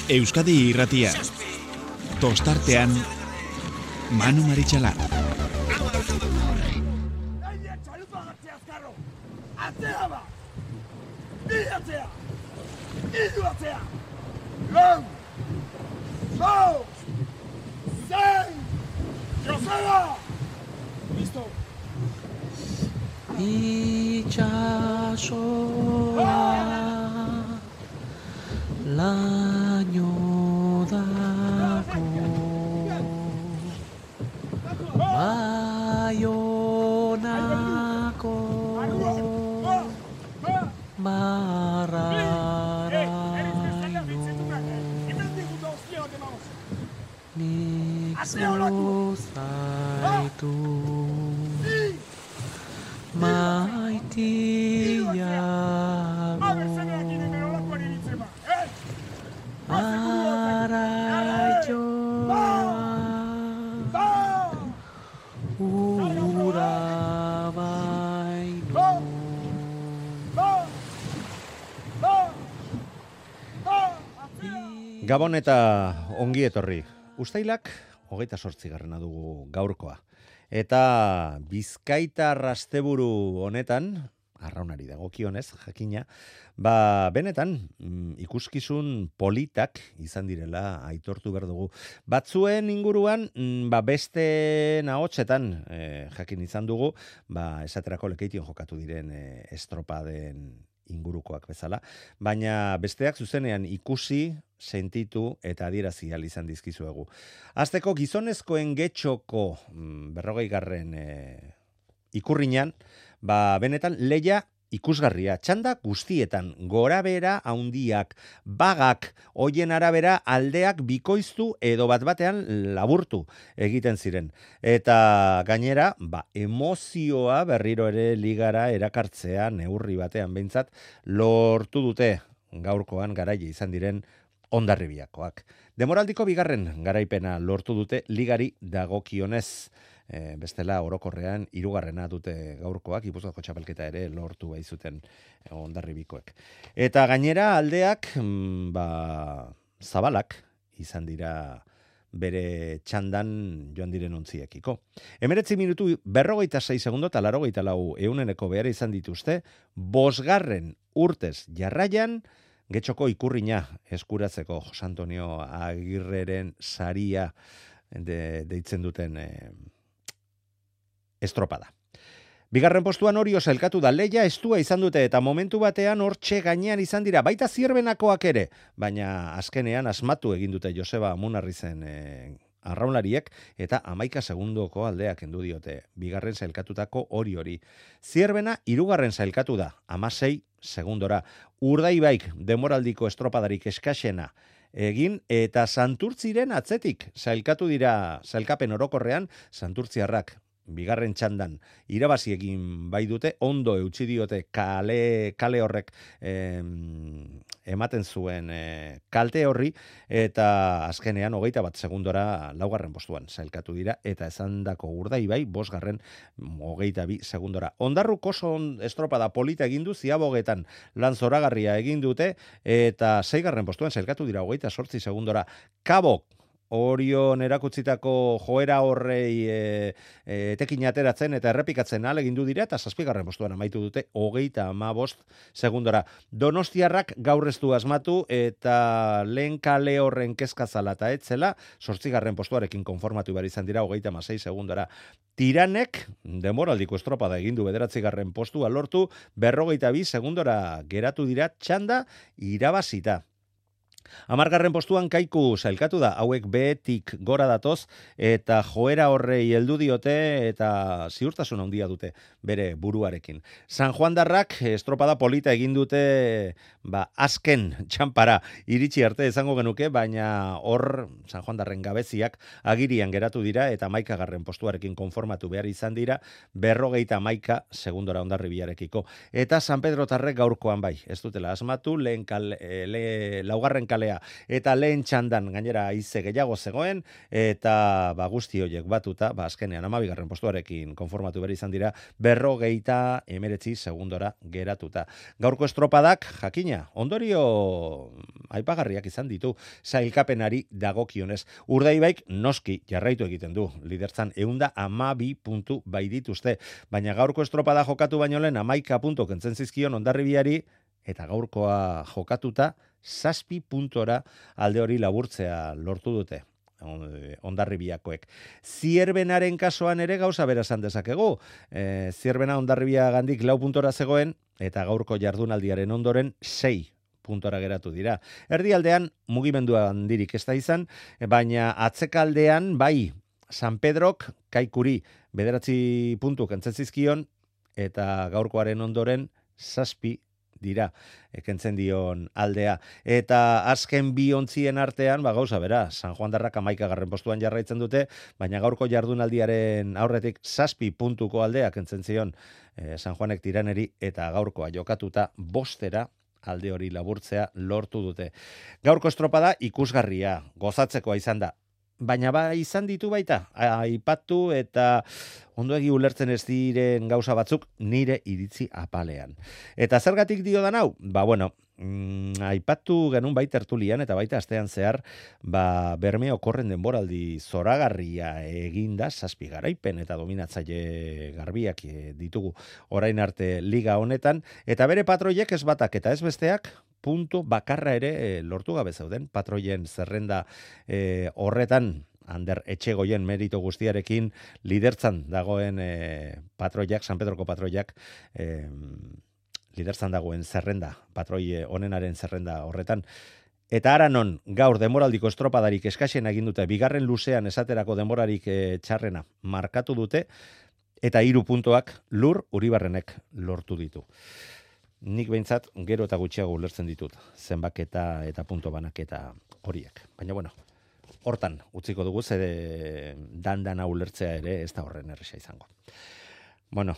Euskadi Irratia. Tostartean Manu Maritxalar. Laino dago Baionako Mararaino Nik zozaitu Maitiago Gabon eta ongi etorri. Uztailak 28. dugu gaurkoa. Eta Bizkaitar asteburu honetan, arraunari dagokionez, jakina, benetan ikuskizun politak izan direla aitortu behar dugu. Batzuen inguruan, beste nahotsetan jakin izan dugu, esaterako Lekeition jokatu diren estropaden ingurukoak bezala, baina besteak zuzenean ikusi, sentitu eta adierazi ahal izan dizkizuegu. Hasteko gizonezkoen getxoko 40. Ikurriñan, benetan leia ikusgarria, txanda guztietan, gorabera handiak, bagak, hoien arabera aldeak bikoiztu edo bat-batean laburtu egiten ziren. Eta gainera, emozioa berriro ere ligara erakartzea neurri batean behintzat lortu dute gaurkoan garaile izan diren Hondarribiakoak. Demoraldiko 2. garaipena lortu dute ligari dagokionez. Bestela orokorrean 3. dute gaurkoak, Gipuzkoako txapelketa ere lortu baizuten Hondarribikoek. Eta gainera aldeak zabalak izan dira bere txandan joan diren ontziekiko. 19 minutu 46 segundo eta 84 euneneko behar izan dituzte, 5. urtez jarraian Getxoko Ikurriña eskuratzeko Jose Antonio Agirreren saria deitzen duten estropada. 2. postuan Orio sailkatu da, leia estua izan dute eta momentu batean hortxe gainean izan dira, baita Zierbenakoak ere, baina azkenean asmatu egin dute Joseba Amunarrizen arraunlariek eta 11 segundoko aldeak kendu diote 2. sailkatutako hori. Zierbena 3. sailkatu da, 16 segundora. Urdaibaik demoraldiko estropadarik eskaxena egin eta Santurtziren atzetik sailkatu dira sailkapen orokorrean Santurtziarrak 2. txandan irabazi egin bai dute, ondo eutsi diote kale horrek ematen zuen kalte horri, eta azkenean 21 segundora 4. postuan sailkatu dira, eta esandako Urdaibai 5. 22 segundora. Hondarruk oso estropada polita egin du, Ziabogetan lan zoragarria egin dute, eta 6. postuan sailkatu dira 28 segundora. Kabok Orion erakutzitako joera horrei etekin ateratzen eta errepikatzen ahalegindu dira eta 7. postuan amaitu dute 35 segundora. Donostiarrak gaur ez du asmatu eta lehen kale horren kezkazala eta etzela 8. postuarekin konformatu behar izan dira 36 segundora. Tiranek demoraldiko estropada egin du 9. postua lortu 42 segundora geratu dira txanda irabazita. 10. postuan Kaiku sailkatu da, hauek behetik gora datoz eta joera horrei heldu diote eta ziurtasun handia dute bere buruarekin. San Juandarrak estropada polita egin dute azken txanpara iritsi arte izango genuke, baina hor San Juandarren gabeziak agirian geratu dira eta 11. postuarekin konformatu behar izan dira 51 segundora Hondarribiarekiko. Eta San Pedrotarrek gaurkoan bai, ez dutela asmatu, laugarren kalea. Eta lehen txandan gainera haize gehiago zegoen, eta guzti horiek batuta, azkenean 12. postuarekin konformatu behar izan dira, 59 segundora geratuta. Gaurko estropadak, jakina, ondorio aipagarriak izan ditu, sailkapenari dagokionez. Urdaibaik noski jarraitu egiten du, liderzan 112 puntu bai dituzte, baina gaurko estropada jokatu baino lehen 11 puntu kentzen zizkion Hondarribiari, eta gaurkoa jokatuta 7 puntora alde hori laburtzea lortu dute Hondarribiakoek. Zierbenaren kasuan ere gauza bera esan dezakegu. Zierbena Hondarribia gandik 4 puntora zegoen, eta gaurko jardunaldiaren ondoren 6 puntora geratu dira. Erdialdean mugimendua handirik ez da izan, baina atzekaldean bai San Pedrok Kaikuri 9 puntu kentzen zizkion, eta gaurkoaren ondoren 7 dira kentzen dion aldea. Eta azken bi ontzien artean, gauza bera, San Juan Darrak 11. postuan jarraitzen dute, baina gaurko jardunaldiaren aurretik 7 puntuko aldea kentzen zion San Juanek Tiraneri, eta gaurkoa jokatuta 5 alde hori laburtzea lortu dute. Gaurko estropada ikusgarria, gozatzekoa izan da. Baina izan ditu baita, aipatu eta ondoegi ulertzen ez diren gauza batzuk nire iritzi apalean. Eta zergatik dio da hau? Aipatu genuen baita tertulian eta baita astean zehar, Bermeo korren denboraldi zoragarria eginda, 7 garaipen eta dominatzaile garbiak ditugu orain arte liga honetan, eta bere patroiek ez batak eta ez besteak, puntu bakarra ere lortu gabe zeuden. Patroien zerrenda horretan, Ander Etxegoien merito guztiarekin lidertzan dagoen patroiak, San Pedroko patroiak, lidertzan dagoen zerrenda, patroi onenaren zerrenda horretan. Eta ara non, gaur demoraldiko estropadarik eskaxen egin dute, bigarren luzean esaterako demorarik txarrena markatu dute, eta 3 puntoak Lur Uribarrenek lortu ditu. Nik behintzat gero eta gutxiago ulertzen ditut, zenbaketa eta punto banaketa horiek. Baina hortan utziko dugu, zede dandana ulertzea ere ez da horren erresa izango.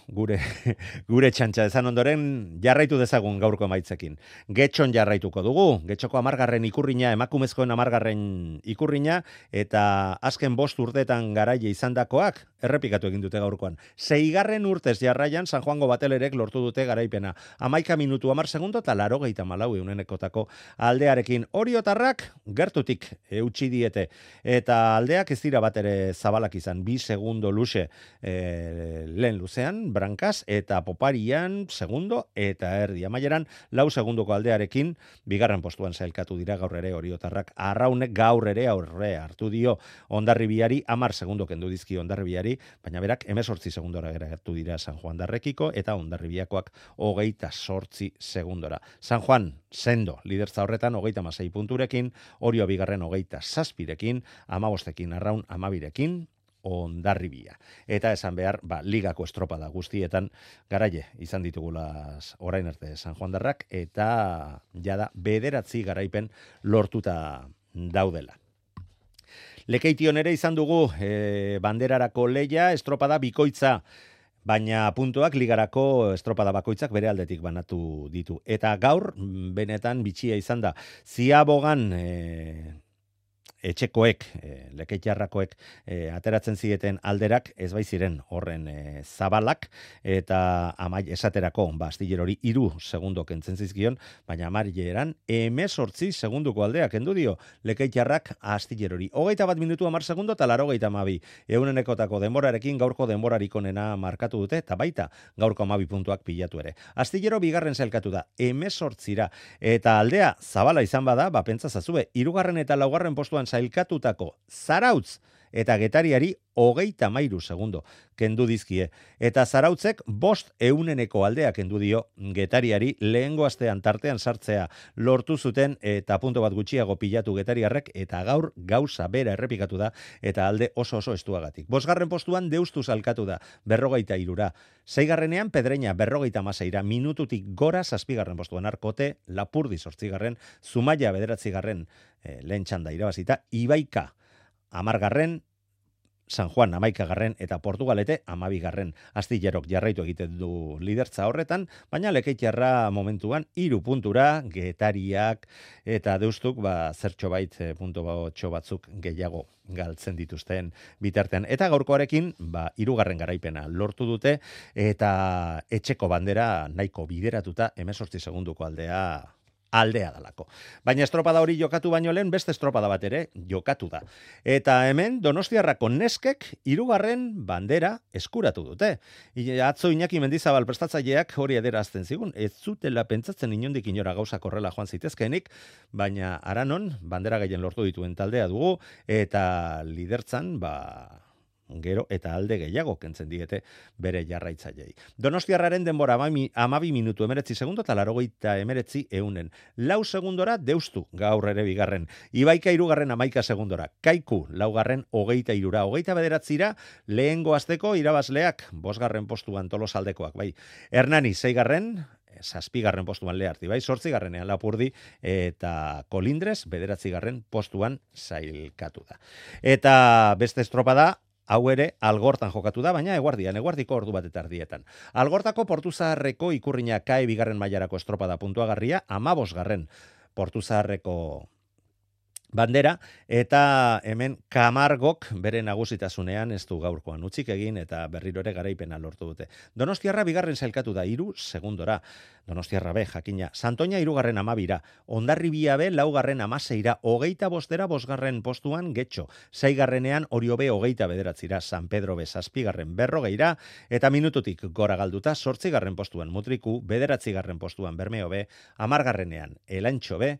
Gure txantxa ezan ondoren jarraitu dezagun gaurko emaitzekin. Getxon jarraituko dugu, Getxoko 10. ikurrina, emakumezkoen 10. ikurrina, eta azken 5 urteetan garaile izandakoak errepikatu egin dute gaurkoan. 6. urtez jarraian San Juango Batelerek lortu dute garaipena. 11 minutu 10 segundo eta 84 eunenekotako aldearekin. Oriotarrak gertutik eutsi diete, eta aldeak ez dira bat ere zabalak izan, 2 segundo luze lehen luzean, Brankaz, eta Poparian segundo, eta erdi amaieran 4 segundoko aldearekin, 2. postuan sailkatu dira gaur ere Oriotarrak. Arraunek gaur ere aurre hartu dio Hondarribiari, 10 segundo kendu dizki Hondarribiari, baina berak 18 segundora geratu dira San Juan Darrekiko, eta Hondarribiakoak 28 segundora. San Juan sendo, lidertza horretan 36 punturekin, Orio 2. 27rekin, 15ekin, Arraun 12rekin, Hondarribia. Eta esan behar, ligako estropada guztietan garaile izan ditugulaz orain arte San Juan Darrak, eta jada 9 garaipen lortuta daudela. Lekeition ere izan dugu banderarako leia, estropada bikoitza, baina puntuak ligarako estropada bakoitzak bere aldetik banatu ditu. Eta gaur, benetan bitxia izan da, Ziabogan etxekoek, lekeitarrakoek ateratzen zieten alderak ez bai ziren horren zabalak, eta esaterako Astillerori 3 segundo kentzen zizkion, baina Amailleran 18 segunduko aldeak kendu dio lekeitarrak Astillerori. 21 minutu 10 segundo eta 82 eunenekotako denborarekin gaurko denborarik onena markatu dute, eta baita gaurko 12 puntuak pilatu ere. Astillero 2. sailkatu da 18ra, eta aldea zabala izan bada, pentsa zazue, 3. eta 4. postuan sailkatutako Zarautz eta Getariari 33 segundo kendu dizkie. Eta Zarautzek 5 euneneko aldea kendu dio Getariari, lehengo astean tartean sartzea lortu zuten, eta punto bat gutxiago pilatu Getariarrek, eta gaur gauza bera errepikatu da, eta alde oso estuagatik. 5. postuan Deustu salkatu da 43ra. 6. Pedreña 56ra, minututik gora 7. postuan Arkote, Lapurdi 8. Zumaia 9. lehen txanda irabazita, Ibaika 10. San Juan 11garren eta Portugalete 12garren. Astillerok jarraitu egiten du lidertza horretan, baina Lekeitarra momentuan 3 puntura, Getariak eta Deustuk zertxo bait puntotxo batzuk gehiago galtzen dituzten bitartean. Eta gaurkoarekin 3. garaipena lortu dute eta etxeko bandera nahiko bideratuta 18 segunduko aldea dalako. Baina estropada hori jokatu baino lehen beste estropada bat ere jokatu da. Eta hemen Donostiarrako neskek 3. bandera eskuratu dute. Atzo Iñaki Mendizabal prestatzaileak hori adierazten zigun, ez zutela pentsatzen inondik inora gauzak horrela joan zitezkeenik, baina aranon bandera gehien lortu dituen taldea dugu eta lidertzan gero eta alde gehiago kentzen diete bere jarraitzaileei. Donostiarraren denbora 12 minutu 19 segundo eta 89 eunen. 4 segundora Deustu gaur ere bigarren. Ibaika 3. 11 segundora. Kaiku 4. 23ra. 29ra lehengo asteko irabazleak 5. postuan Tolosaldekoak. Bai. Hernani 6. 7. postuan Learti, bai, 8. Lapurdi eta Kolindres 9. postuan sailkatu da. Eta beste estropada hau ere Algortan jokatu da, baina eguardiko ordu bat eta erdietan. Algortako Portuzaharreko Ikurriña Kae 2. mailarako estropada puntuagarria, 15. Portuzaharreko bandera, eta hemen Kamargok bere nagusitasunean ez du gaurkoan utzik egin eta berriro ere garaipena lortu dute. Donostiarra 2. sailkatu da 3 segundora. Donostiarra B, jakina. Santoña 3. 12ra. Hondarribia B 4. 16ra. 25. 5. postuan Getxo. 6. Orio B 29ra. San Pedro B 7. 40ra. Eta minututik gora galduta 8. postuan Mutriku, 9. postuan Bermeo B, 10. Elantxo B,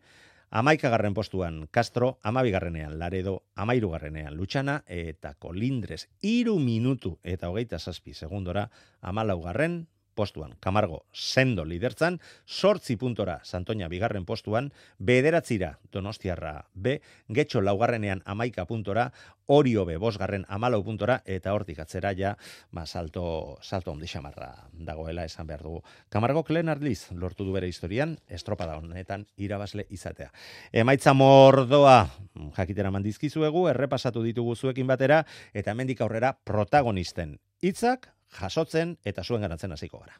11. postuan Castro, 12. Laredo, 13. Lutxana eta Kolindres 3 minutu eta 27 segundora 14. postuan. Camargo sendo lidertzan, 8 puntora Santoña 2. postuan, 9. Donostiarra B, Getxo 4. 11 puntora, Orio B 5. 14 puntora, eta hortik atzera ja, salto ondi xamarra dagoela esan behar dugu. Camargo lehen arliz lortu du bere historian, estropada honetan irabazle izatea. Emaitza mordoa jakitera mandizkizuegu, errepasatu ditugu zuekin batera, eta hemendik aurrera protagonisten hitzak jasotzen eta zuen ganatzen hasiko gara.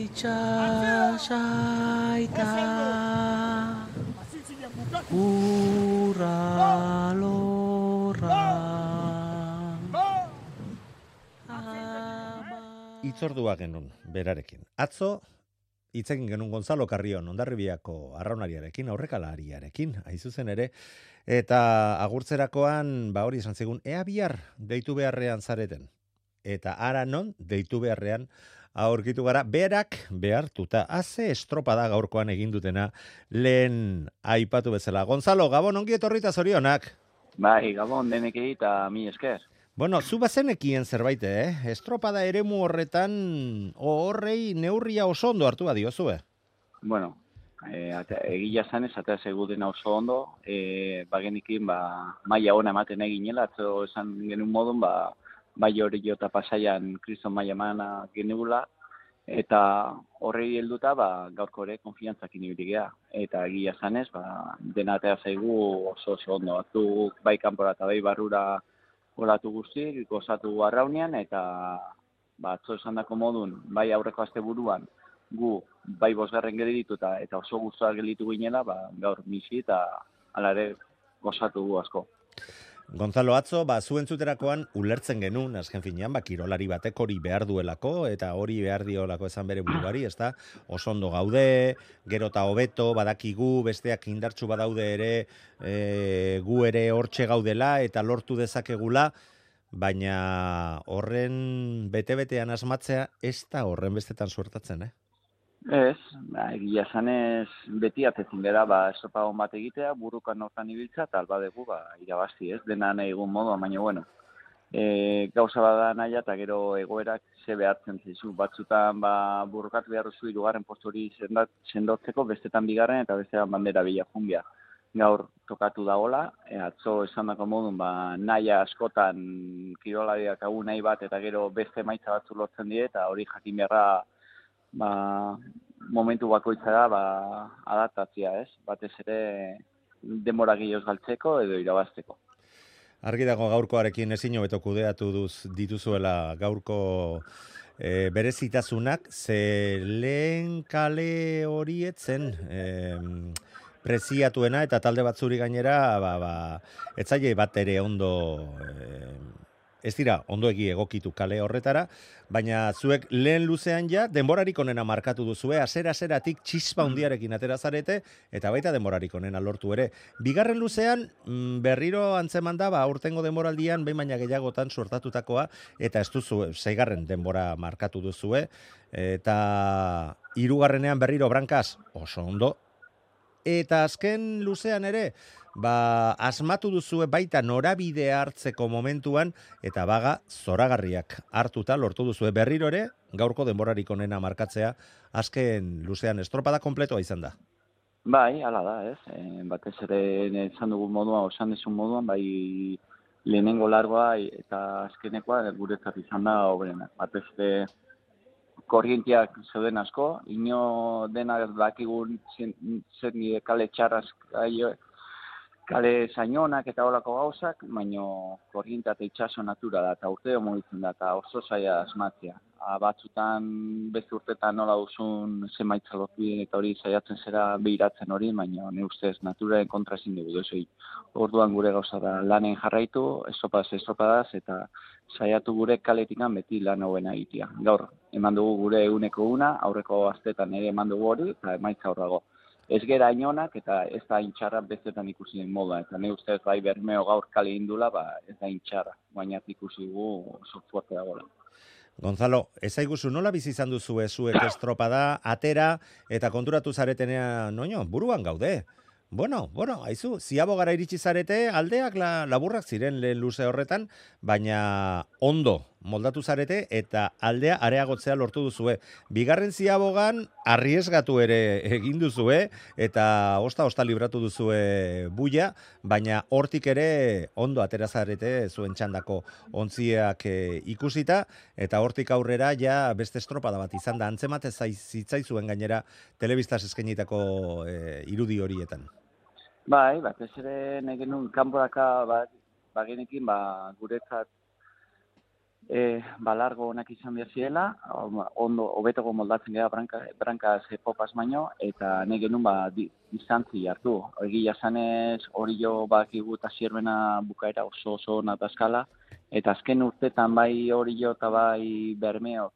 Itxasaita urra lorra Itzordua genuen berarekin. Atzo hitzekin genuen Gonzalo Carrion Hondarribiako arraunariarekin, aurrekalariarekin, aizuzen ere, eta agurtzerakoan hori esan zigun, ea bihar deitu beharrean zareten. Eta ara non deitu beharrean aurkitu gara, berak behartuta, haze estropada gaurkoan egin dutena lehen aipatu bezala. Gonzalo, Gabon, ongi etorrita zorionak. Bai, Gabon, denekei eta mi esker. Bueno, zu bazenekien zerbait, estropada eremu horretan horrei neurria oso ondo hartu badiozue. Bueno, egia zanez, eta seguden oso ondo, bagenikin, maila ona ematen eginela, atzo esan genuen modun, bai hori jota pasaian kriston maila emana genugula, eta horrei helduta gaurko ere konfiantzakin ibiligea. Eta egia zanez, denatea zaigu oso ondo. Batzuk bai kanpora eta bai barrura olatu guztik, gozatu arraunean, eta atzo esan dako modun, bai aurreko asteburuan, gu bai 5. geldituta eta oso guztuak gelditu ginela, gaur misi eta hala ere gozatu gu asko. Gonzalo, atzo, zu entzuterakoan ulertzen genuen, azken finean, kirolari batek hori behar duelako, eta hori behar diolako esan bere buruari, ez da, oso ondo gaude, gero eta hobeto, badakigu, besteak indartsu badaude ere, gu ere hortxe gaudela, eta lortu dezakegula, baina horren bete-betean asmatzea, ez da horren bestetan suertatzen, Ez, egia zanez beti atetzin gara, esopagon bat egitea, burukan hortan ibiltza, eta albadegu irabazti, ez, dena nahi egun moduan, baina bueno. Gauza bada naia, eta gero egoerak ze behartzen zizu. Batzutan burrukatu behar duzu 3. postu hori sendotzeko, bestetan 2. eta bestetan bandera bila jungia. Gaur tokatu dagoela, atzo esan dako modun, naia askotan kirolariak hau nahi bat, eta gero beste maitza batzu lortzen die, eta hori jakin beharra momentu bakoitza da adaptatzea, ez? Batez ere denbora gehiagoz galtzeko edo irabazteko. Argi dago gaurkoarekin ezin hobeto kudeatu dituzuela gaurko berezitasunak, ze lehen kale horietzen preziatuena eta talde batzuri gainera ez zaie bat ere ondo ez dira ondoegi egokitu kale horretara, baina zuek lehen luzean ja denborarik onena markatu duzue, hasiera-hasieratik txispa hundiarekin atera zarete eta baita denborarik onena lortu ere. Bigarren luzean berriro antzeman da aurtengo denboraldian behin baina gehiagotan suertatutakoa eta ez duzu seigarren denbora markatu duzue eta hirugarrenean berriro brankaz oso ondo. Eta azken luzean ere, asmatu duzue baita norabide hartzeko momentuan, eta baga zoragarriak hartuta lortu duzue berriro ere, gaurko denborarik onena markatzea, azken luzean estropada kompletoa izan da. Bai, hala da, ez. Batez ere esan dugun moduan, osan dezun moduan, bai lehenengo largoa eta azkenekoa guretzat izan da obrena. Batez ere korrientiak zeuden asko, ino denak dakigun zer nire kale txarraz kale zainonak eta holako gauzak, baino korrientea eta itxaso natura da, eta urteo mugitzen da, eta oso zaila asmatzea. Batzutan, beste urtetan nola duzun zemaitza lortu eta hori saiatzen zera behiratzen hori, baina ne ustez naturaren kontra ezin dugu duzoi. Orduan gure gauza da lanen jarraitu, estropadaz, eta saiatu gure kaletikan beti lan hobena egitea. Gaur, eman dugu gure eguneko una, aurreko astetan ere eman dugu hori, eta emaitza hor dago. Ez gera inonak eta ez da intxarra bestetan ikusi den moda. Eta ne ustez bai Bermeo gaur kale indula, ez da intxarra. Baina ikusi gu fuerte dagoela. Gonzalo, ezaiguzu nola bizi izan duzue zuek estropada, atera eta konturatu zaretenean, buruan gaude. Bueno, haizu, ziabogara iritsi zarete, aldeak laburrak ziren lehen luze horretan, baina ondo moldatu zarete eta aldea areagotzea lortu duzue. Bigarren ziabogan arriesgatu ere egin duzue eta osta libratu duzue buia, baina hortik ere ondo atera zarete zuen txandako ontziak ikusita eta hortik aurrera ja beste estropada bat izan da antzemate zitzaizuen gainera telebistaz eskainitako irudi horietan. Bai, batez ere negenun kanporaka bagenekin guretzat largo onak izan behar zirela, ondo hobetoko moldatzen gara brankaz popaz baino, eta negenun distantzi hartu. Egia zanez hori jo bakigu eta zierbena bukaera oso natazkala, eta azken urtetan bai hori jo eta bai Bermeok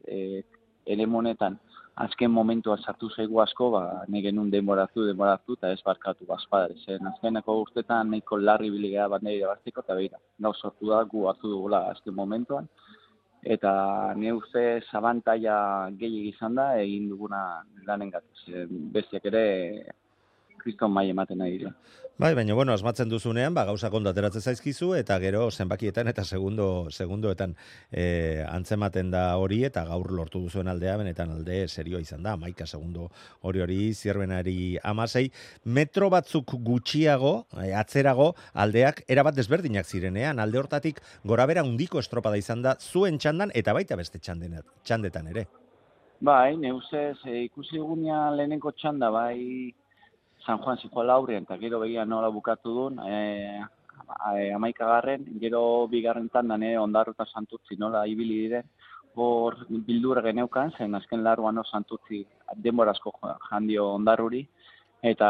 ere monetan azken momentua sartu zaigu asko, negenun denboratu, eta ez barkatu bazpadare. Azkeneko urtetan nahiko larri biligea bandera irabazteko, eta behira, gau sortu da, gu hartu dugula azken momentuan, eta ne uste zabantaia gehiagik izan da, egin duguna lanen gatuz. Bestiak ere, kriston mai ematen nahi dira. Bai, baina asmatzen duzunean, gauzak ondo ateratzen zaizkizu, eta gero zenbakietan eta segundoetan antzematen da hori, eta gaur lortu duzuen aldea, benetan alde serioa izan da, 11 segundo hori zierbenari 16, metro batzuk gutxiago, atzerago, aldeak erabat desberdinak zirenean, alde hortatik gorabera handiko estropada izan da, zuen txandan, eta baita beste txandetan ere. Bai, neuzez, ikusi dugunean lehenenko txanda, bai, San Juan zijoala aurrean, eta gero begia nola bukatu duen, 11garren, gero bigarren tandan Ondarru eta Santutzi nola ibili diren, hor bildur geneukan, zen azken largoan Santutzi denborazko jandio Ondarruri, eta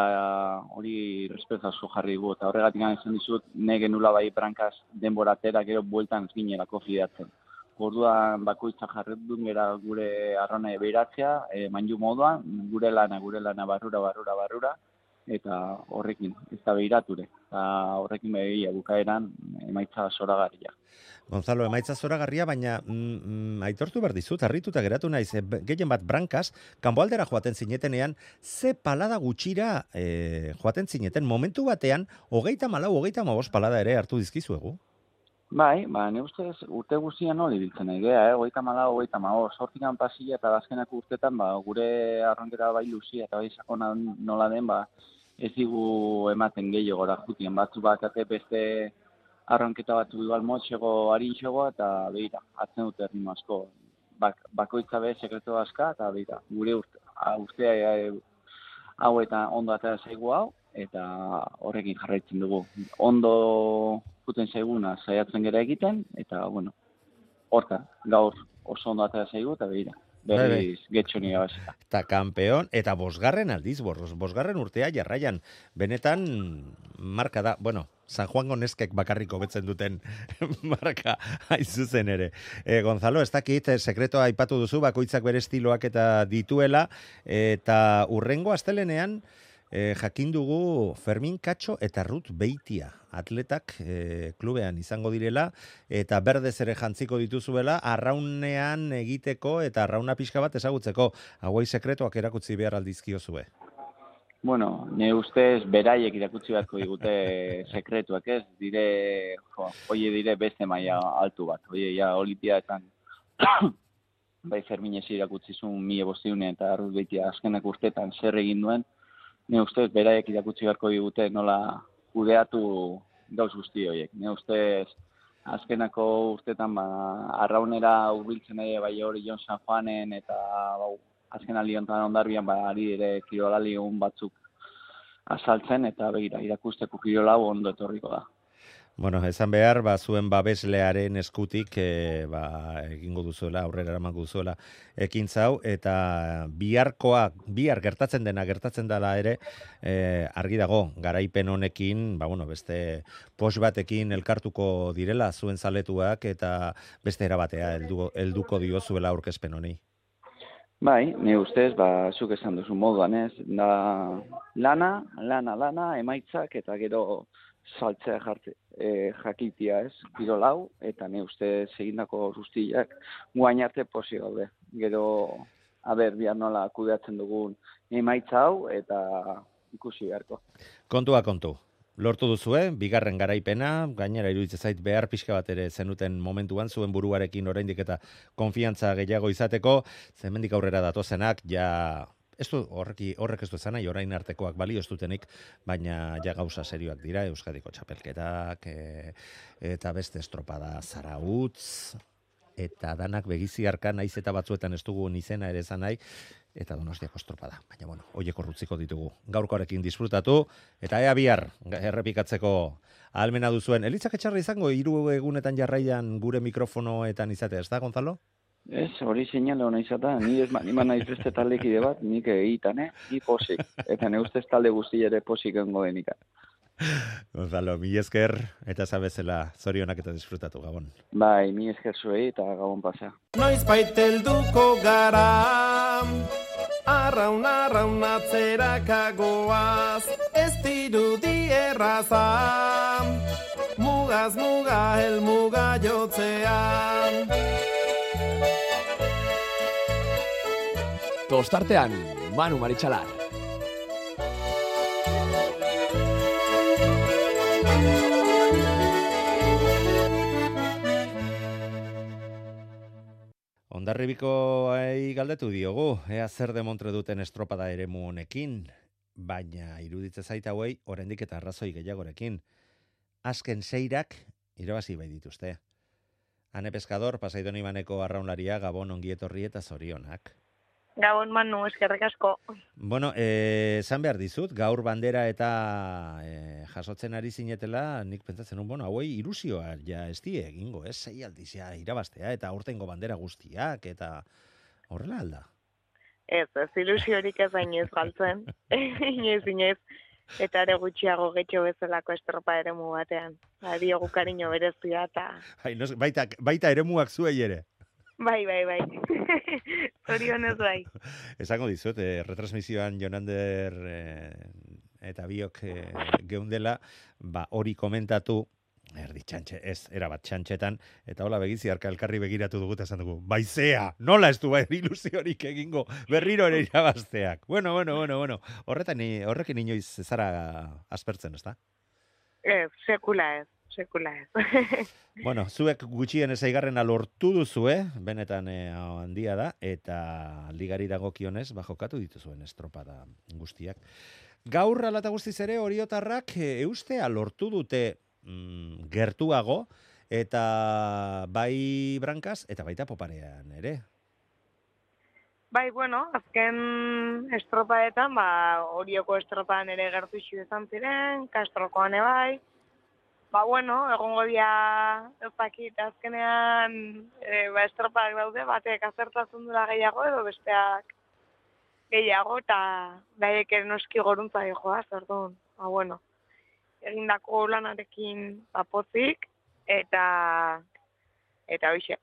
hori respetuazu jarri gu, eta horregatik izan dizut, genula bai brankaz denboratera gero bueltan ez ginerako fidatzen. Orduan bakoitza jarri duen gara gure arrona behiratzea, manju moduan, gure lana barrura, eta horrekin, ez da behirature. Eta horrekin begia bukaeran emaitza zoragarria. Gonzalo, emaitza zoragarria, baina aitortu behar dizut, harrituta geratu naiz, gehien bat brankaz, kanpoaldera joaten zinetenean, ze palada gutxira joaten zineten, momentu batean, 34-35 palada ere hartu dizkizuegu? Bai, ne ustez urte guztian hori biltzen nahi geha, 34-35, sortikan pasilla eta azkenako urtetan, gure arronkera bai luzia eta bai sakona nola den, ez digu ematen gehiagora jutien, batzu bakate beste arronketa batzu igual motxego, harinxego, eta behira, atzen dute errimo asko. Bakoitza be sekretu aska, eta behira, gure urtea hau eta ondo atera zaigu hau, eta horrekin jarraitzen dugu. Ondo puten zaiguna saiatzen gera egiten, eta, bueno, horta, gaur oso ondo atera zaigu, eta behira. Berriz getxoni gabazita. Eta kampeon, eta bosgarren aldiz, bosgarren urtea jarraian. Benetan, marka da, bueno, San Juango neskek bakarriko betzen duten marka hain zuzen ere. Gonzalo, ez dakit, sekretoa aipatu duzu, bakoitzak bere estiloak eta dituela, eta urrengo astelenean, jakin dugu Fermin Katxo eta Ruth Beitia atletak klubean izango direla eta berdez ere jantziko dituzuela arraunean egiteko eta arrauna pixka bat ezagutzeko. Hauei sekretuak erakutsi behar aldizkiozue. Bueno, ne ustez beraiek irakutsi beharko digute sekretuak ez, dire beste maila altu bat. Oie, ja, olimpiadetan bai Ferminez irakutsi zuen 1500 eta Ruth Beitia azkenak urtetan zer egin duen. Ne ustez, beraiek irakutsi beharko digute nola kudeatu gauz guzti horiek. Ne ustez, azkenako urtetan arraunera hurbiltzen ere bai hori Jon San Juanen eta azken aliontan ondarbian ari ere kirolali batzuk azaltzen eta begira irakusteko kirolau ondo etorriko da. Bueno, esan behar, zuen babeslearen eskutik egingo duzuela, aurrera eramango duzuela ekintza hau, eta bihar gertatzen dela ere, argi dago, garaipen honekin, beste pos batekin elkartuko direla zuen zaletuak, eta beste erabatea helduko diozuela aurkezpen honi. Bai, ne ustez, zuk esan duzu moduan ez, da lana, emaitzak, eta gero saltzea jakitia ez, kirolau, eta ne ustez egindako guztiak guain arte posi gaude. Gero, bihar nola kudeatzen dugun emaitza hau, eta ikusi beharko. Kontua kontu. Lortu duzue, bigarren garaipena, gainera iruditzen zait behar pixka bat ere zenuten momentuan, zuen buruarekin oraindik eta konfiantza gehiago izateko, zemendik aurrera datozenak, horrek ez du esan nahi, orain artekoak balio ez dutenik, baina ja gauza serioak dira, Euskadiko txapelketak, eta beste estropada Zarautz, eta danak begiziarka naiz eta batzuetan ez dugu izena ere esan nahi, eta Donostiako estropada. Baina, horiek urrutziko ditugu. Gaurkoarekin disfrutatu, eta ea bihar errepikatzeko ahalmena duzuen. Elitzak etxarra izango, 3 egunetan jarraian gure mikrofonoetan izatea, ez da, Gonzalo? Ez, hori seinale hona izata, ni naiz beste taldekide bat, nik egiten, ni posik. Eta ne ustez talde guzti ere posik engo denika. Gonzalo, mi esker, eta zabezela zorionak eta disfrutatu, Gabon. Bai, mi esker zuei eta Gabon pasa. Noiz baitelduko gara, arraunatzerak ez dirudi erraza, mugaz muga helmuga jotzean. Tostartean, Manu Maritxalar. Hondarribikoei galdetu diogu, ea zer demontre duten estropada eremu honekin, baina iruditze zait hauei oraindik eta arrazoi gehiagorekin. Azken 6 irabazi bai dituzte. Ane Pescador, Pasaidon Ibaneko arraunlaria, Gabon ongietorri eta zorionak. Gabon, Manu, eskerrik asko. Bueno, esan behar dizut, gaur bandera eta jasotzen ari zinetela, nik pentsatzen hauei ilusioa ja ez die egingo, ez? 6 aldiz irabaztea eta aurtengo bandera guztiak eta horrela alda. Ez ilusiorik ez hainez galtzen, inez, eta ere gutxiago getxo bezalako estropa eremu batean. Diogu kariño berezia eta... Baita eremuak zuei ere. Bai. Zorionez bai. Esango dizut, retransmisioan Jonander eta biok geundela, hori komentatu, erabat txantxetan, eta hola begiziarka elkarri begiratu dugu eta esan dugu, baizea, nola ez du ilusiorik egingo, berriro ere irabazteak. Bueno. Horrekin inoiz zara aspertzen, ez da? Sekula ez. Bueno, zuek gutxien ezaigarrena lortu duzue, benetan handia da, eta ligari dagokionez, jokatu dituzuen estropada guztiak. Gaur alata guztiz ere, oriotarrak eustea lortu dute gertuago, eta bai brankaz, eta baita poparean ere. Bai, azken estropadetan, Orioko estropadan ere gertu izan ziren, Kastrokoan bai, bueno, egongo dia, ez dakit, azkenean, estropak daude, batek azertatzen dura gehiago edo besteak gehiago, eta daiek noski goruntza joaz, orduan, bueno, egindako lanarekin pozik, eta hoxe.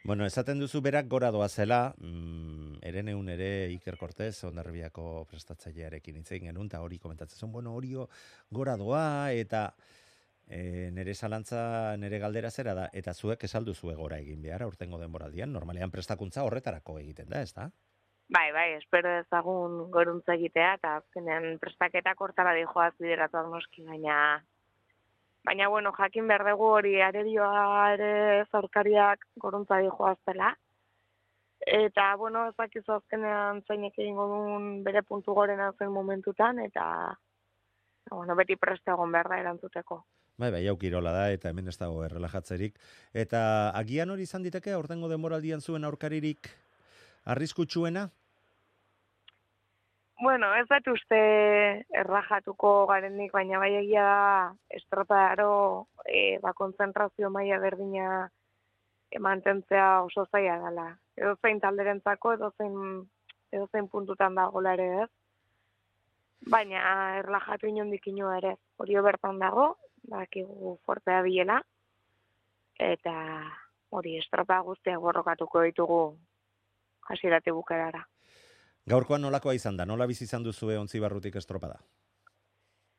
Bueno, esaten duzu berak gora doazela, Hereneun ere Iker Cortez, Hondarribiako prestatzailearekin hitz egin genuen, eta hori komentatzen zuen, bueno, hori gora doa, eta nire zalantza, nire galdera zera da, eta zuek esaldu zue gora egin behar, aurtengo denboraldian, normalean prestakuntza horretarako egiten da, ez da? Bai, espero ezagun goruntza egitea, eta azkenean prestaketak hortara dijoaz bideratuak noski, baina bueno, jakin behar dugu hori arerioa ere zaurkariak goruntza dijoaz dela, eta bueno, ezakizu azkenean zeinek egingo duen bere puntu gorena zen momentutan, eta bueno, beti preste egon behar da erantzuteko. Bai, hau kirola da, eta hemen ez dago errelajatzerik. Eta agian hori izan diteke, aurtengo denboraldian zuen aurkaririk arriskutsuena? Bueno, ez dut uste errajatuko garenik, baina bai egia da estropadaro konzentrazio maila berdina mantentzea oso zaila dela. Edozein talderentzako, edozein puntutan dagoela ere ez. Baina erlajatu inondik inoa ere. Hori bertan dago, bakigu fortea bilela, eta hori estropa guztiak borrokatuko ditugu hasieratik bukaerara. Gaurkoan nolakoa izan da? Nola bizi izan duzue Ontzibarrutik estropada?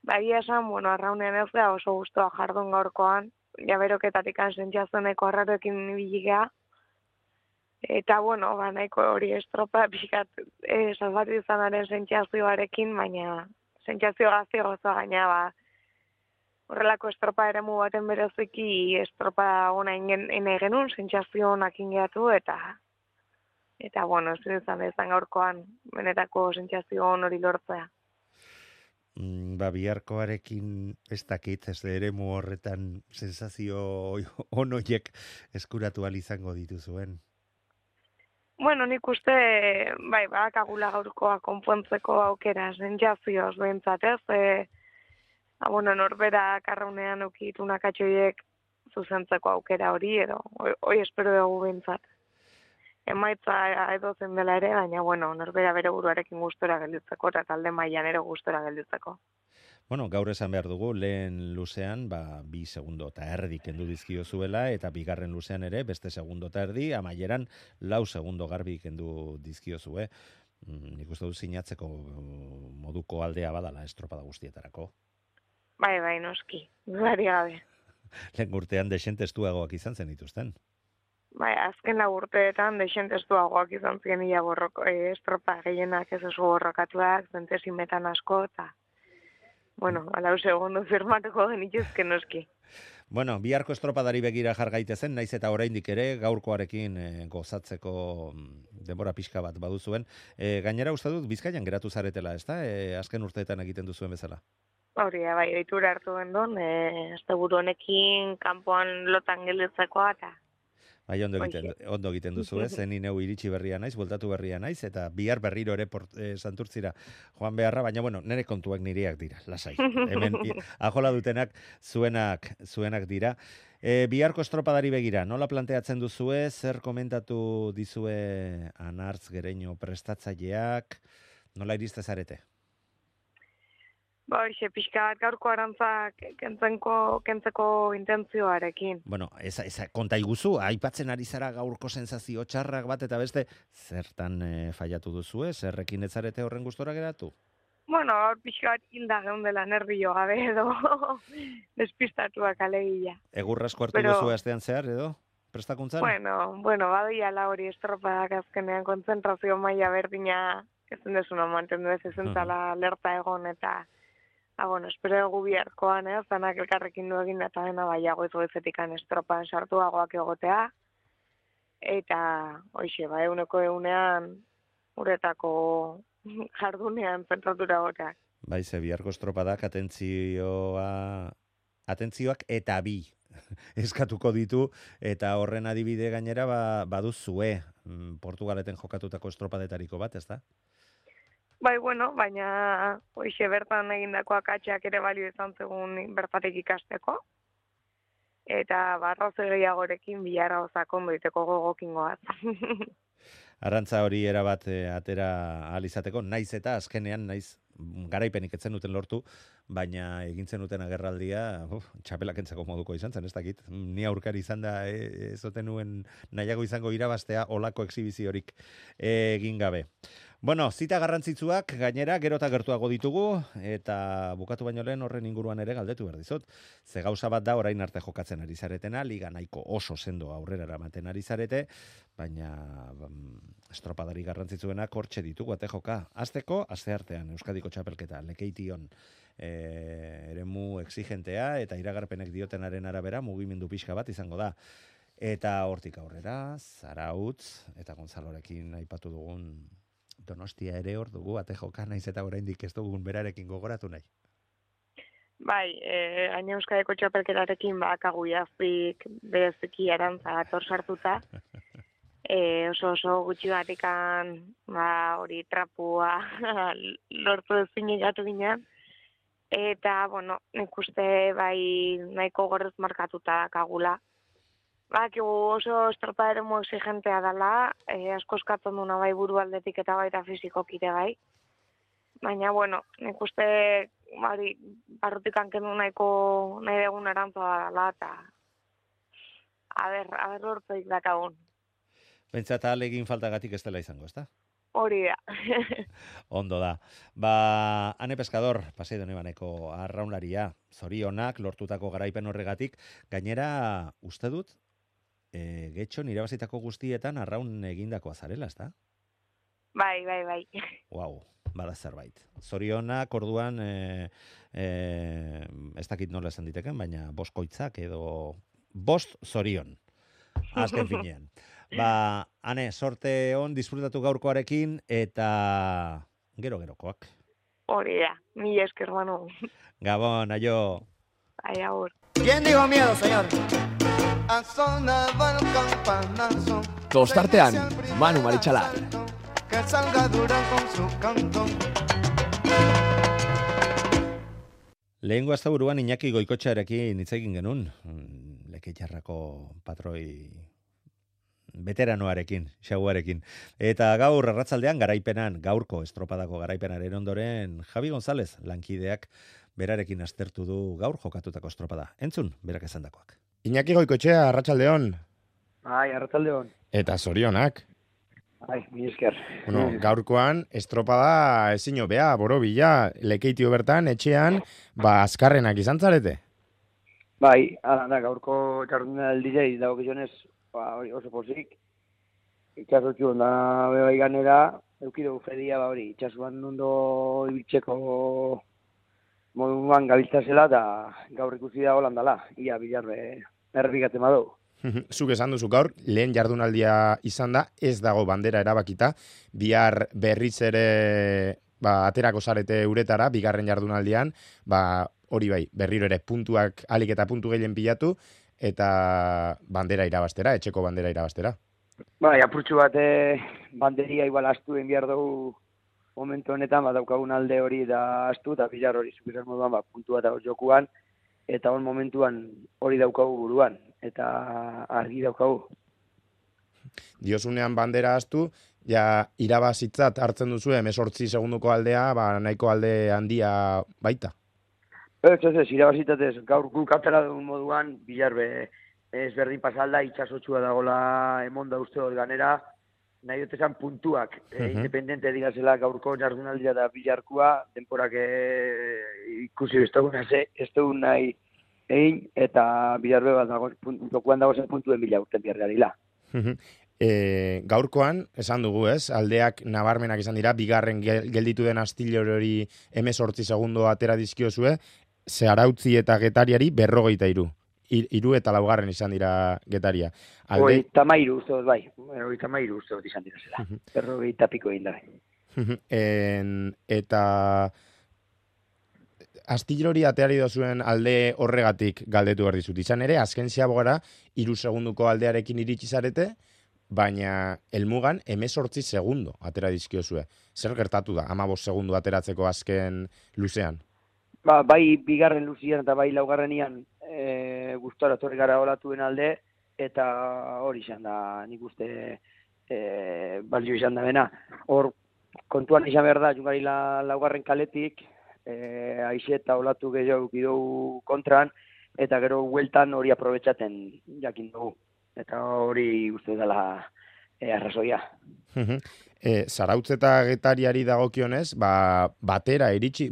Bai esan, bueno, arraunean ez da oso gustoa jardun gaurkoan, jaberoketatik sentsazioneko arraroekin biligea, eta bueno, nahiko hori estropa pixkat salbatu izanaren sentsazioarekin, baina sentsazio gazti gozoa gaina, horrelako estropa eremu baten bereziki estropa ona ene genuen, sentsazio onak ingeatu, eta bueno, ez izan gaurkoan benetako sentsazio hori lortzea. Biharkoarekin ez dakit, ez eremu horretan sensazio onoiek eskuratu ahal izango dituzuen. Bueno, nik uste, badakagula gaurkoa konpontzeko aukera sentsazioz behintzat, ez? Bueno, norbera karraunean ukitu nakatxoiek zuzentzeko aukera hori, edo, hoi espero dugu behintzat. Emaitza edo zen dela ere, baina, bueno, norbera bere buruarekin gustora gelditzeko, eta talde mailan ere gustora gelditzeko. Bueno, gaur esan behar dugu, lehen luzean, 2 segundo eta erdi kendu dizkio zuela, eta bigarren luzean ere, beste segundo eta erdi, amaieran 4 segundo garbi kendu dizkio zue. Nik uste du sinatzeko moduko aldea badala estropada guztietarako. Bai, noski, gari gabe. Lehen urtean desentestuagoak izan zen dituzten. Bai, azken urteetan desentestuagoak izan ziren ia estropa gehienak ez oso borrokatuak, zentesimetan asko, eta bueno, 4 segundo firmatuko genituzke noski. Bueno, biharko estropadari begira jar gaitezen, naiz eta oraindik ere gaurkoarekin gozatzeko denbora pixka bat baduzuen. Gainera uste dut Bizkaian geratu zaretela, ezta? Azken urteetan egiten duzuen bezala. Hori, bai, deitura hartu gendon, asteburu honekin kanpoan lotan gelditzeko eta Bai, ondo egiten duzu, ez? Zen ineu iritsi berria naiz, bueltatu berria naiz, eta bihar berriro ere Santurtzira joan beharra, baina bueno, nire kontuak nireak dira, lasai. Hemen ajola dutenak zuenak dira. Biharko estropadari begira, nola planteatzen duzue, zer komentatu dizue Anartz Gereño prestatzaileak, nola iriste zarete? Hoxe, pixka bat gaurko arantzak kentzeko intentzioarekin. Bueno, konta iguzu, aipatzen ari zara gaurko sensazio txarrak bat eta beste, zertan fallatu duzue, zerrekin ez zarete horren gustora geratu? Bueno, pixka bat hilda geundela nervio gabe edo despistatuak alegia. Egurrasko hartu duzue astean zehar edo? Prestakuntzan? Bueno, badoiala hori estropadak azkenean kontzentrazio maila berdina ezen desuna mantendu ez ezentzala alerta egon eta bueno, espero dugu biharkoan, zanak elkarrekin du egin eta dena baiago ez goizetikan estropan sartuagoak egotea. Eta, hoxe, eguneko egunean, uretako jardunean zentratura goteak. Bai, ze biharko estropadak atentzioak eta bi eskatuko ditu, eta horren adibide gainera baduzue Portugaleten jokatutako estropadetariko bat, ez da? Bai, bueno, baina hoxe bertan egindako akatsak ere balio izan zegun bertatik ikasteko. Eta barroze gehiagorekin bilara osakondo iteko gogokin goaz. Arrantza hori erabat atera ahal izateko, naiz eta azkenean, naiz garaipenik etzen duten lortu, baina egintzen duten agerraldia, txapelakentzako moduko izan zen, ez dakit. Ni aurkari izan da, ezoten nuen nahiago izango irabaztea olako exhibiziorik egin gabe. Bueno, zita garrantzitsuak gainera gero eta gertuago ditugu, eta bukatu baino lehen horren inguruan ere galdetu behar dizut. Ze gauza bat da orain arte jokatzen ari zaretena, liga nahiko oso sendo aurrera eramaten ari zarete, baina estropadari garrantzitsuenak hortxe ditugu ate joka. Azteko, asteartean Euskadiko txapelketa, Lekeition eremu exigentea eta iragarpenek diotenaren arabera mugimendu pixka bat izango da. Eta hortik aurrera, Zarautz eta Gonzalorekin aipatu dugun Donostia ere hor dugu, ate joka naiz eta oraindik ez dugun berarekin gogoratu nahi. Bai, gaina Euskadiko txapelketarekin bakagu jazpik bereziki arantza ator sartuta. Oso gutxi batikan hori trapua lortu ezin egatu ginen. Eta, bueno, nik uste bai nahiko gorrez markatuta dakagula. Bakigu oso estropa eremu exigentea dela, asko eskatzen duna bai buru aldetik eta baita fizikoki ere bai. Baina, bueno, nik uste barrutik hankendu nahi dugun arantza dela, eta aber lortzeik dakagun. Pentsat ahalegin faltagatik ez dela izango, ezta? Hori da. Ondo da. Ane Pescador, Paseo de Nebaneko arraunlaria, zorionak lortutako garaipen horregatik, gainera uste dut, getxon irabazitako guztietan arraun egindakoa zarela, ezta? Bai. Wow, bada zerbait. Zorionak orduan, ez dakit nola esan diteken, baina boskoitzak edo bost zorion. Azken finean. Ane, sorte on, disfrutatu gaurkoarekin eta gero-gerokoak. Hori da, mila esker Manu. Gabon, aio. Ai, agur. ¿Quién dijo miedo, señor? Tostartean, Manu Maritxalar. Que salga Durán con su cantón. Lehengo asteburuan Iñaki Goikotxearekin hitz egin genuen, Lekeitarrako patroi veteranoarekin, xaguarekin. Eta gaur arratsaldean garaipenan, gaurko estropadako garaipenaren ondoren, Javi González, lankideak berarekin aztertu du gaur jokatutako estropada. Entzun, berak esandakoak. Iñaki Goikotxea, arratsaldeon. Bai, arratsaldeon. Eta zorionak. Bai, mi esker. Bueno, gaurkoan estropada ezin hobea, borobila, Lekeitio bertan, etxean, azkarrenak izan zarete. Bai, da, gaurko jardunaldiei dagokionez, hori oso pozik. Itxasotxu onda bebai ganera, eukidugu fedia, hori, itxasuan ondo ibiltzeko moduan gabiltzazela, eta gaur ikusi da holandala, ia bilarbe errepigatzen badu. Zuk esan duzu gaur, lehen jardunaldia izan da, ez dago bandera erabakita, bihar berriz ere aterako zarete uretara, bigarren jardunaldian, hori bai, berriro ere puntuak alik eta puntu gehien pilatu, eta bandera irabastera, etxeko bandera irabastera. Bai, apurtxu bat banderia igual astu behar dugu momentu honetan, daukagun alde hori da astu, eta bilar hori zukizan moduan, puntu bat jokuan, eta hon momentuan hori daukagu buruan, eta argi daukagu. Diozunean bandera astu, ja irabazitzat hartzen duzu 18 segunduko aldea, nahiko alde handia baita. Ez, irabazitatez, gaur guk atera dugun moduan, bilar ez berdin pasalda, itxasotxua dagoela emonda uste hor ganera, nahi dut esan puntuak, independente digazela gaurko jardunaldia da bilarkua, denporak ikusi ez dugun nahi egin, eta bilarbe bat dago, dokuan dago zen puntuen bila urten biarra dila. Gaurkoan, esan dugu ez, aldeak nabarmenak izan dira, bigarren gelditu den astilo hori 18 segundo atera dizkiozue, Zarautzi eta Getariari 43. 3 eta 4 izan dira Getaria. 33 uste dut, bai. 33 uste dut izan dira zela. 40 piko egin da. Eta astilo hori ateari dozuen alde horregatik galdetu behar dizut. Izan ere, azken ziabogara, 3 segunduko aldearekin iritsi zarete, baina helmugan 18 segundo atera dizkiozue. Zer gertatu da, 15 segundo ateratzeko azken luzean? Bai bigarren luzian eta bai laugarrenian gustora torri gara olatuen alde, eta hori izan da, nik uste balio izan da bena. Hor, kontuan izan behar da, jungari laugarren kaletik, aixe eta olatu gehiago dugu kontran, eta gero hueltan hori aprobetxaten jakin dugu. Eta hori uste dela arrazoia. Zarautz eta Getariari dagokionez, batera iritsi,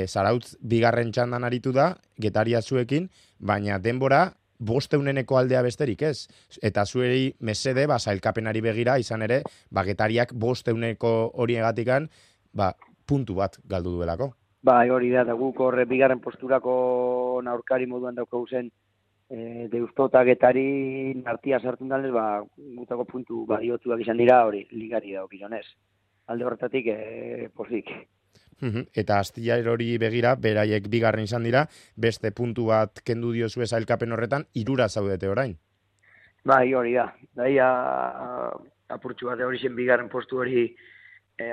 Zarautz bigarren txandan aritu da, Getaria zuekin, baina denbora 500 aldea besterik ez. Eta zuei mesede, sailkapenari begira, izan ere, Getariak 500 horiegatikan, puntu bat galdu duelako. Hori da, guk horre bigarren posturako aurkari moduan daukagu zen, Deusto eta Getari nartia sartun dalez, gutako puntu badiotuak izan dira, hori ligari dauk izanez. Alde horretatik, pozik. Eta Astillero hori begira, beraiek bigarren izan dira, beste puntu bat kendu diozue sailkapen horretan, 3 zaudete orain. Hori da. Apurtxu bat hori zen bigarren postu hori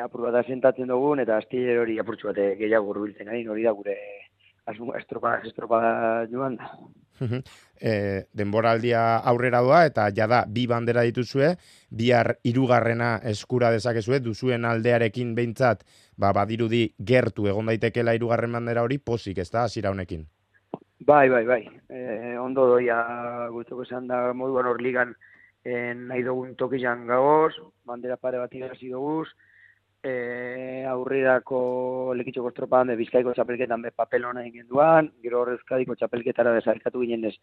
apur bat asentatzen dugun, eta Astillero hori apurtxu bat gehiago hurbiltzen gain, hori da gure estropada joan da. Denboraldia aurrera doa, eta jada 2 bandera dituzue, bihar 3. eskura dezakezue, duzuen aldearekin behintzat, badirudi gertu egon daitekela 3. bandera hori, pozik, ez da, hasiera honekin? Bai. Ondo doia gutoko esan da moduan hor ligan nahi dugun tokizan gagoz, bandera pare bat irazi duguz, aurrerako lekitxoko estropadan Bizkaiko txapelketan papel hona egin duan, gero Euskadiko txapelketara desarkatu ginen ez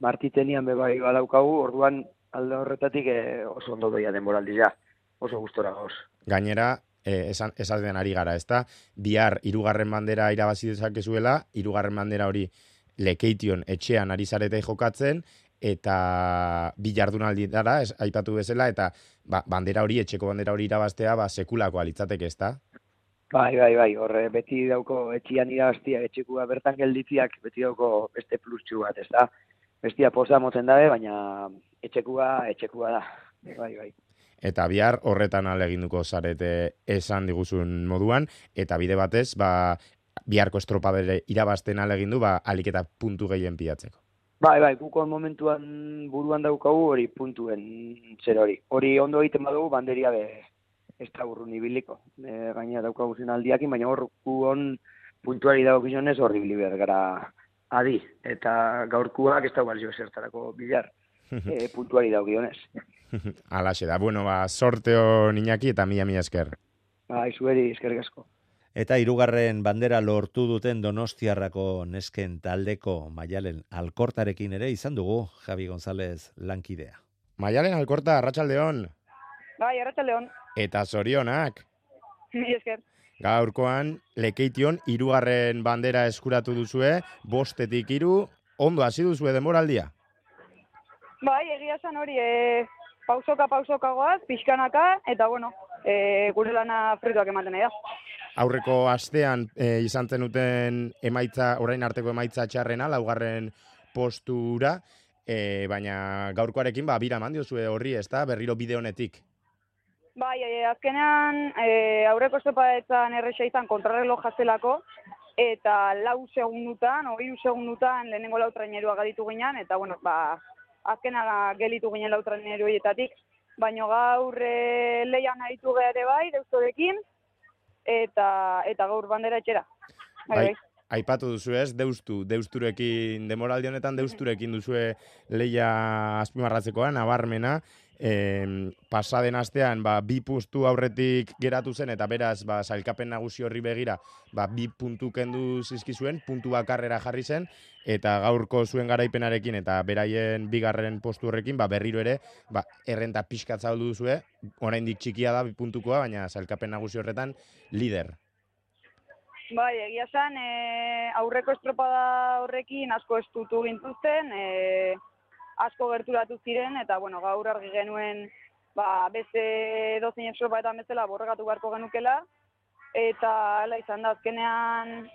martitenian bai badaukagu, orduan alde horretatik oso ondo doia denboraldia, oso gustora gauz. Gainera, esaten ari gara, ezta? Bihar 3. bandera irabazi dezakezuela, 3. bandera hori Lekeition etxean ari zarete jokatzen, eta 2 jardunaldi dara, aipatu bezala, eta bandera hori, etxeko bandera hori irabaztea, sekulako alitzateke, ezta? Bai, horre, beti dauko etxian irabaztia, etxekua bertan gelditziak, beti dauko beste pluschu bat, ezta? Bestia poza motzen dabe, baina etxekua da, bai. Eta bihar horretan aleginduko zarete esan diguzun moduan, eta bide batez, biharko estropadere irabazten alegindu, alik eta puntu gehien pilatzeko. Bai, gukon momentuan buruan daukagu hori puntuen zer hori. Hori ondo egiten badugu banderia ez da urrun ibiliko. Gaina daukagu zen aldiakin, baina hor guon puntuari dagokizionez horri biliber gara adi. Eta gaurkuak ez da balio zertarako bilar puntuari dagokizionez. Alaxe da, sorteo Iñaki eta mila esker. Zueri eskerrik asko. Eta 3. bandera lortu duten Donostiarrako nesken taldeko Maialen Alkortarekin ere izan dugu Javi González lankidea. Maialen Alkorta, arratsaldeon. Bai, arratsaldeon. Eta zorionak. Mila esker. Gaurkoan Lekeition 3. bandera eskuratu duzue, 5-3, ondo hasi duzue denboraldia. Bai, egia esan hori, pausoka goaz, pixkanaka, eta gure lana fruituak ematen da. Aurreko astean izan zenuten orain arteko emaitza txarrena, 2. postura, baina gaurkoarekin bira eman diozue horri, ezta, berriro bide honetik. Bai, azkenean aurreko estropadetan erresa izan kontrarreloj jazelako, eta 3 segundutan lehenengo 4 trainerua gaditu ginen, eta azkenean gelitu ginen 4 traineruetatik, baina gaur leian aritu ere bai, Deustorekin, eta gaur bandera etxera. Bai. Aipatu duzu ez, Deusturekin, demoraldi honetan Deusturekin duzue leia azpimarratzekoa, nabarmena, pasaden astean 2 postu aurretik geratu zen, eta beraz, sailkapen nagusi horri begira, 2 puntu kendu zizkizuen, puntu bakarrera jarri zen, eta gaurko zuen garaipenarekin, eta beraien 2. postu horrekin, berriro ere, errenta pixkat zabaldu duzue, oraindik txikia da 2 puntukoa, baina sailkapen nagusi horretan, lider. Bai, egia esan, aurreko estropada horrekin asko estutu gintuzten, asko gerturatu ziren, eta gaur argi genuen beste dozein estropadetan bezala borregatu beharko genukela, eta hala izan da, azkenean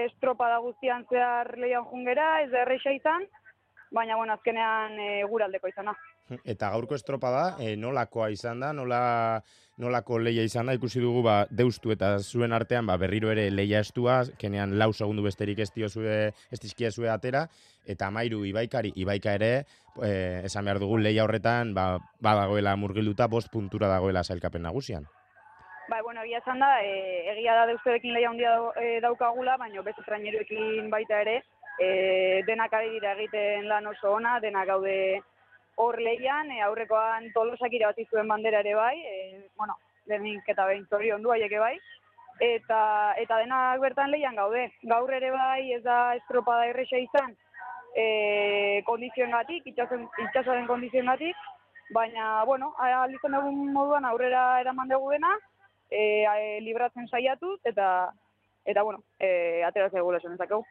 estropada guztian zehar leian jungera, ez da erreixa izan, baina azkenean guraldeko izan da. Eta gaurko estropada, nolakoa izan da, nolako leia izan da, ikusi dugu deustu eta zuen artean berriro ere leia estua, kenean 4 segundu besterik ez dizkiezue atera, eta Amairu Ibaika ere, esan behar dugu leia horretan badagoela murgilduta 5 puntura dagoela sailkapen nagusian. Bueno, egia esan da, egia da deusturekin leia handia daukagula, baina beste traineruekin baita ere, denak ari dira egiten lan oso ona, denak gaude hor lehian, aurrekoan Tolosak irabazi zuen bandera ere bai, lehenik eta behin zoriondu haiek bai, eta denak bertan lehian gaude. Gaur ere bai ez da estropada erresa izan, kondizioengatik, itxasoaren kondizioengatik, baina, aldizan dugun moduan aurrera eraman dugu dena, libratzen saiatuz, eta ateratzea gula esan ezakegu.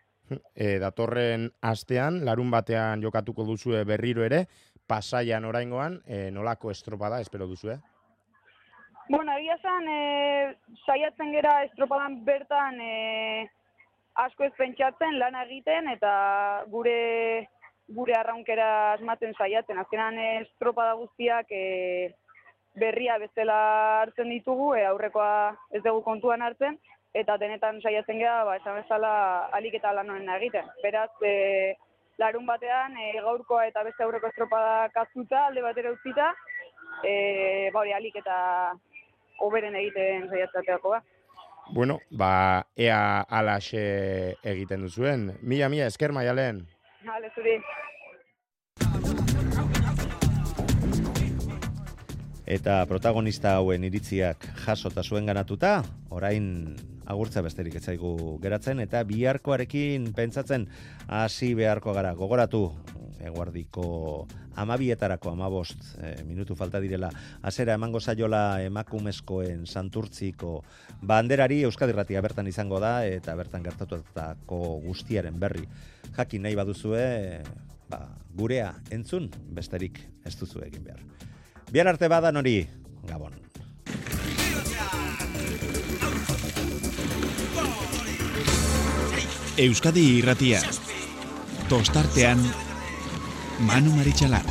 Datorren astean, larun batean jokatuko duzue berriro ere, Pasaian oraingoan, nolako estropada espero duzue? Egia esan, saiatzen gera estropadan bertan asko ez pentsatzen, lana egiten, eta gure arraunkera asmatzen saiatzen. Azkenan estropada guztiak berria bezala hartzen ditugu, aurrekoa ez dugu kontuan hartzen, eta denetan saiatzen gera, esan bezala alik eta lan honena egiten. Beraz, larun batean, gaurkoa eta beste aurreko estropada kazuta, alde batera utzita, alik eta hoberen egiten saiatzateako da. Ea alaxe egiten duzuen. Mila esker Maialen. Hale, zuri. Eta protagonista hauen iritziak jasota zuen ganatuta, orain agurtza besterik ez zaigu geratzen, eta biharkoarekin pentsatzen hasi beharko gara. Gogoratu, eguerdiko 12etarako 15 minutu falta direla, hasiera emango zaiola emakumezkoen Santurtziko banderari. Euskadi Irratia bertan izango da, eta bertan gertatutako guztiaren berri jakin nahi baduzue, gurea entzun, besterik ez duzu egin behar. Bihar arte badan hori, Gabon. Euskadi Irratia. Tostartean Manu Maritxalar.